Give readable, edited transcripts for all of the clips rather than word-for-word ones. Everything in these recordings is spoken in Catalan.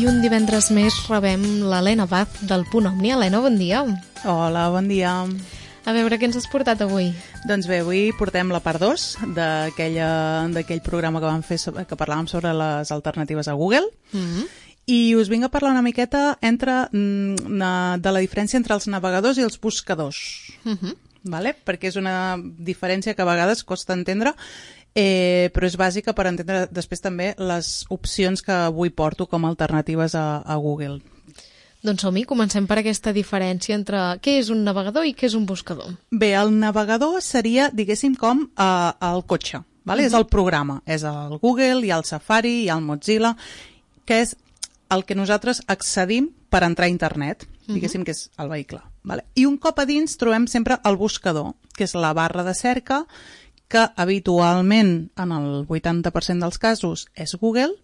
un divendres més rebem l'Helena Baz del Punt Òmnia. Helena, bon dia. Hola, bon dia. A veure, què ens has portat avui? Doncs bé, avui portem la part 2 d'aquell programa que vam fer que parlàvem sobre les alternatives a Google. I us vinc a parlar una miqueta de la diferència entre els navegadors i els buscadors. Vale? Perquè és una diferència que a vegades costa entendre, però és bàsica per entendre després també les opcions que avui porto com a alternatives a Google. Doncs som-hi, comencem per aquesta diferència entre què és un navegador i què és un buscador. Bé, el navegador seria, diguéssim, com el cotxe, vale? És el programa, és el Google, hi ha el Safari, hi ha el Mozilla, que és el que nosaltres accedim per entrar a internet, diguéssim que és el vehicle. Vale? I un cop a dins trobem sempre el buscador, que és la barra de cerca, que habitualment, en el 80% dels casos, és Google,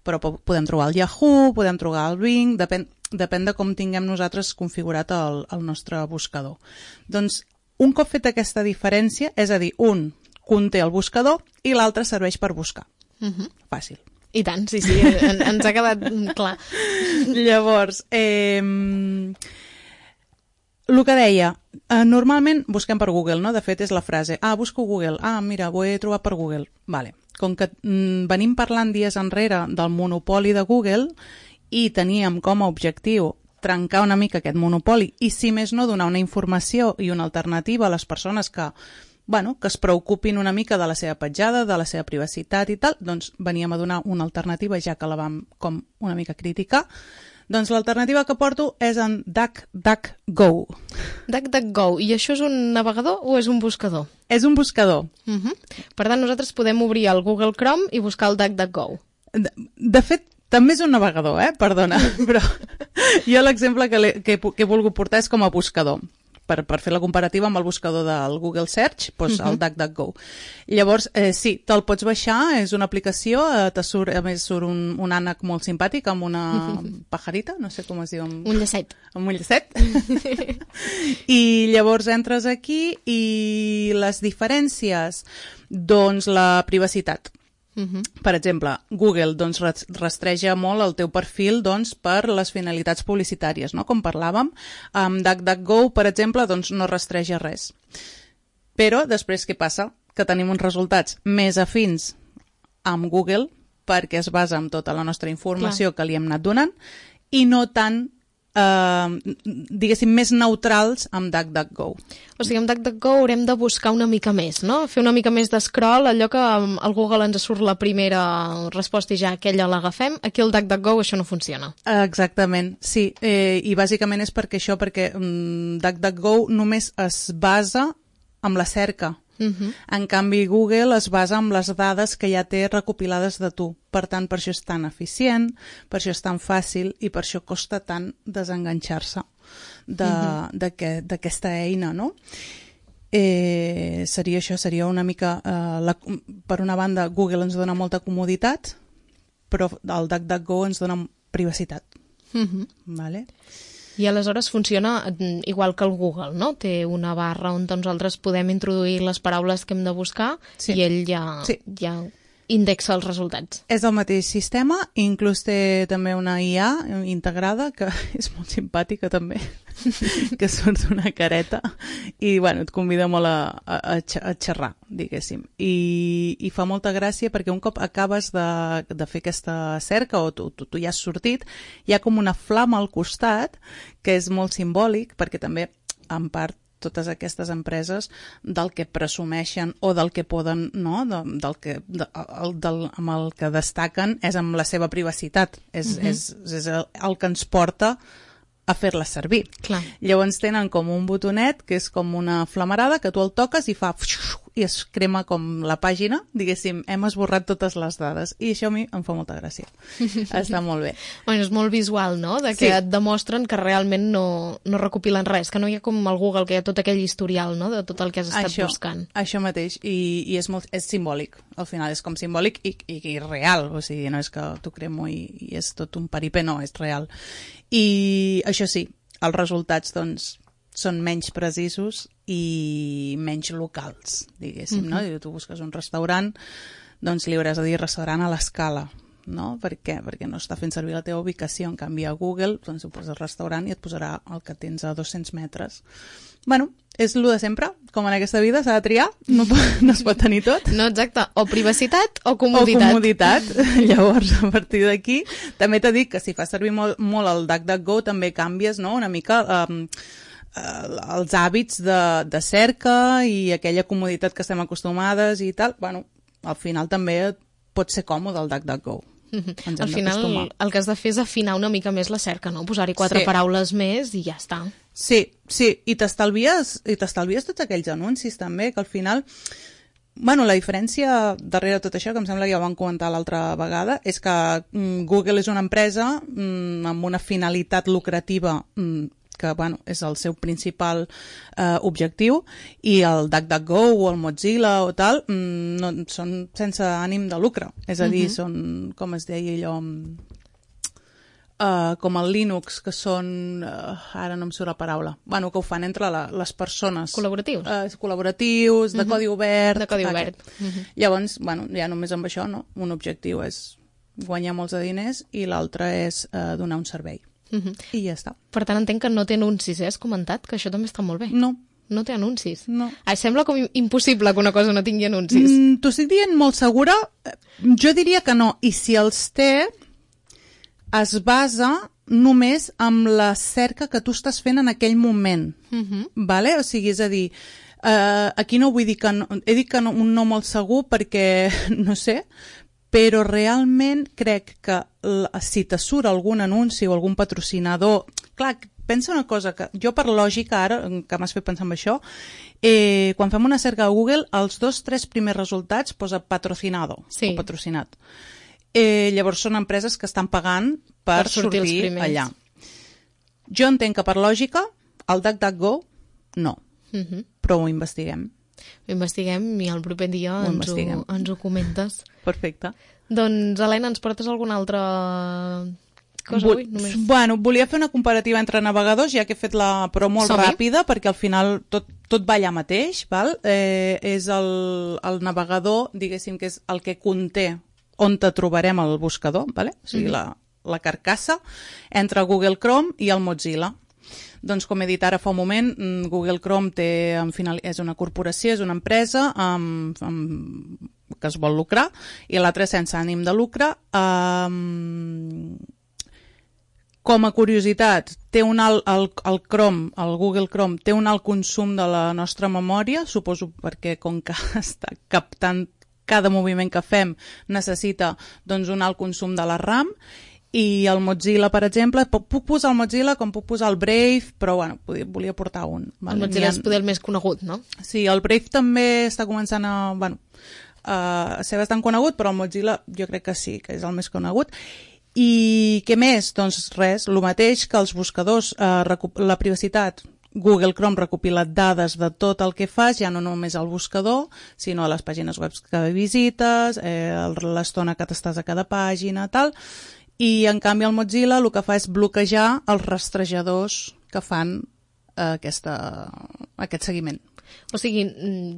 però podem trobar el Yahoo, podem trobar el Bing, depèn de com tinguem nosaltres configurat el nostre buscador. Doncs, un cop fet aquesta diferència, és a dir, un conté el buscador i l'altre serveix per buscar. Fàcil. I tant, sí, ens ha quedat clar. Llavors, el que deia, normalment busquem per Google, no? De fet, és la frase, busco Google, mira, ho he trobat per Google. Vale. Com que venim parlant dies enrere del monopoli de Google i teníem com a objectiu trencar una mica aquest monopoli i, si més no, donar una informació i una alternativa a les persones que es preocupin una mica de la seva petjada, de la seva privacitat i tal, doncs veníem a donar una alternativa, ja que la vam com una mica criticar. Doncs l'alternativa que porto és en DuckDuckGo. DuckDuckGo. I això és un navegador o és un buscador? És un buscador. Per tant, nosaltres podem obrir el Google Chrome i buscar el DuckDuckGo. De fet, també és un navegador, perdona, però jo l'exemple que he volgut portar és com a buscador. Per fer la comparativa amb el buscador del Google Search, doncs el DuckDuckGo. Llavors, sí, te'l pots baixar, és una aplicació, a més surt un ànec molt simpàtic amb una pajarita, no sé com es diu. Un llacet. Amb un llacet. I llavors entres aquí i les diferències, doncs la privacitat. Per exemple, Google rastreja molt el teu perfil per les finalitats publicitàries, no? Com parlàvem, amb DuckDuckGo, per exemple, no rastreja res. Però després què passa? Que tenim uns resultats més afins amb Google perquè es basa en tota la nostra informació que li hem anat donant i no tant diguéssim, més neutrals amb DuckDuckGo. O sigui, amb DuckDuckGo haurem de buscar una mica més, no? Fer una mica més d'escroll, allò que al Google ens surt la primera resposta i ja aquella l'agafem, aquí al DuckDuckGo això no funciona. Exactament, sí, i bàsicament és perquè DuckDuckGo només es basa amb la cerca. En canvi, Google es basa en les dades que ja té recopilades de tu. Per tant, per això és tan eficient, per això és tan fàcil i per això costa tant desenganxar-se d'aquesta eina, no? Seria això, seria una mica... per una banda, Google ens dona molta comoditat, però el DuckDuckGo ens dona privacitat. Vale? I aleshores funciona igual que el Google, no? Té una barra on nosaltres podem introduir les paraules que hem de buscar i ell ja indexa els resultats. És el mateix sistema, inclús té també una IA integrada, que és molt simpàtica també, que surt una careta i et convida molt a xerrar, diguéssim. I fa molta gràcia perquè un cop acabes de fer aquesta cerca o tu ja has sortit, hi ha com una flama al costat que és molt simbòlic perquè també, en part, totes aquestes empreses del que presumeixen o del que poden, no? Amb el que destaquen és amb la seva privacitat. És el que ens porta a fer-la servir. Clar. Llavors tenen com un botonet que és com una flamarada que tu el toques i fa i es crema com la pàgina, diguéssim, hem esborrat totes les dades i això a mi em fa molta gràcia. Està molt bé. Bueno, és molt visual, no? De que et demostren que realment no recopilen res, que no hi ha com al Google, que hi ha tot aquell historial, no? De tot el que has estat buscant. Això mateix, i és simbòlic, al final és com simbòlic i real, o sigui, no és que t'ho cremo i és tot un paripé, no, és real. I això sí, els resultats, doncs, són menys precisos i menys locals, diguéssim, no? Tu busques un restaurant, doncs li hauràs de dir restaurant a l'escala, no? Per què? Perquè no està fent servir la teva ubicació. En canvi, a Google, doncs ho poses restaurant i et posarà el que tens a 200 metres. Bueno, és el de sempre, com en aquesta vida s'ha de triar, no es pot tenir tot. No, exacte, o privacitat o comoditat. O comoditat. Llavors, a partir d'aquí, també t'he dit que si fas servir molt el DuckDuckGo també canvies, no?, una mica els hàbits de cerca i aquella comoditat que estem acostumades i tal. Bueno, al final també pot ser còmode el DuckDuckGo. Al final el que has de fer és afinar una mica més la cerca, no? Posar-hi 4 paraules més i ja està. Sí, i t'estalvies tots aquells anuncis també, que al final... Bueno, la diferència darrere tot això, que em sembla que ja ho vam comentar l'altra vegada, és que Google és una empresa amb una finalitat lucrativa que bueno, és el seu principal objectiu, i el DuckDuckGo o el Mozilla o tal no, són sense ànim de lucre. És a dir, són, com es deia allò, com el Linux, que són... ara no em surt la paraula. Bueno, que ho fan entre les persones. Col·laboratius. Col·laboratius, de codi obert. De codi obert. Llavors, bueno, ja només amb això, no? Un objectiu és guanyar molts de diners i l'altre és donar un servei. I ja està. Per tant, entenc que no té anuncis, Has comentat? Que això també està molt bé. No. No té anuncis? No. Sembla com impossible que una cosa no tingui anuncis. T'ho estic dient molt segura? Jo diria que no. I si els té, es basa només amb la cerca que tu estàs fent en aquell moment. Vale? O sigui, és a dir, aquí no vull dir que no, he dit que no, un no molt segur perquè, no sé, però realment crec que si te surt algun anunci o algun patrocinador... Clar, pensa una cosa, que jo per lògica ara, que m'has fet pensar en això, quan fem una cerca a Google, els 2-3 primers resultats posa patrocinado o patrocinat. Llavors són empreses que estan pagant per sortir allà. Jo entenc que per lògica el DuckDuckGo no, però ho investiguem. Ho investiguem i el proper dia ens ho comentes. Perfecte. Doncs, Helena, ens portes alguna altra cosa avui? Bueno, volia fer una comparativa entre navegadors, ja que he fet però molt ràpida, perquè al final tot va allà mateix, val? És el navegador, diguéssim, que és el que conté on te trobarem el buscador, vale? O sigui, la carcassa entre Google Chrome i el Mozilla. Doncs, com he dit ara fa un moment, Google Chrome és una corporació, és una empresa que es vol lucrar, i l'altra sense ànim de lucre. Com a curiositat, té el Google Chrome té un alt consum de la nostra memòria, suposo perquè com que està captant cada moviment que fem necessita doncs, un alt consum de la RAM. I el Mozilla, per exemple, puc posar el Mozilla com puc posar el Brave, però bueno, volia portar un. El Mozilla és poder el més conegut, no? Sí, el Brave també està començant a ser bastant conegut, però el Mozilla jo crec que sí, que és el més conegut. I què més? Doncs res, el mateix que els buscadors, la privacitat. Google Chrome recopila dades de tot el que fas, ja no només al buscador, sinó a les pàgines web que visites, l'estona que t'estàs a cada pàgina, tal. I, en canvi, el Mozilla el que fa és bloquejar els rastrejadors que fan aquest seguiment. O sigui,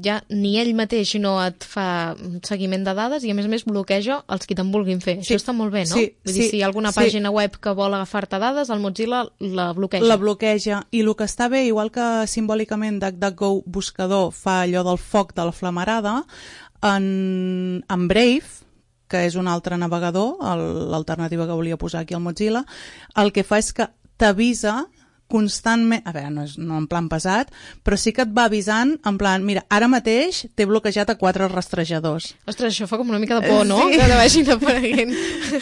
ja ni ell mateix no et fa seguiment de dades i, a més bloqueja els que te'n vulguin fer. Sí. Això està molt bé, no? Vull dir, si hi ha alguna pàgina web que vol agafar-te dades, el Mozilla la bloqueja. La bloqueja. I el que està bé, igual que simbòlicament DuckDuckGo buscador fa allò del foc de la flamarada, en Brave, que és un altre navegador, l'alternativa que volia posar aquí al Mozilla, el que fa és que t'avisa constantment, a veure, no en plan pesat, però sí que et va avisant en plan, mira, ara mateix t'he bloquejat a 4 rastrejadors. Ostres, això fa com una mica de por, no? Sí. Que te vagin apareguent.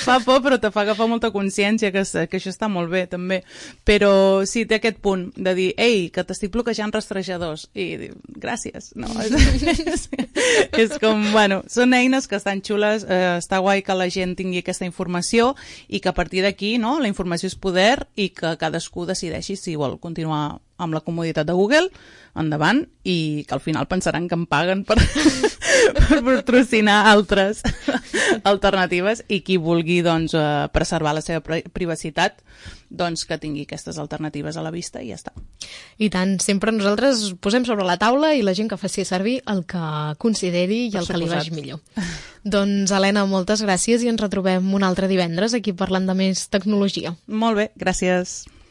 Fa por, però te fa agafar molta consciència, que això està molt bé, també. Però sí, té aquest punt de dir, ei, que t'estic bloquejant rastrejadors. I diu, gràcies. No, és com, bueno, són eines que estan xules, està guai que la gent tingui aquesta informació i que a partir d'aquí, no, la informació és poder i que cadascú decideixi així, si vol continuar amb la comoditat de Google, endavant, i que al final pensaran que em paguen per patrocinar altres alternatives, i qui vulgui doncs, preservar la seva privacitat, doncs que tingui aquestes alternatives a la vista i ja està. I tant, sempre nosaltres posem sobre la taula i la gent que faci servir el que consideri i el que li vagi millor. Doncs, Helena, moltes gràcies i ens retrobem un altre divendres aquí parlant de més tecnologia. Molt bé, gràcies.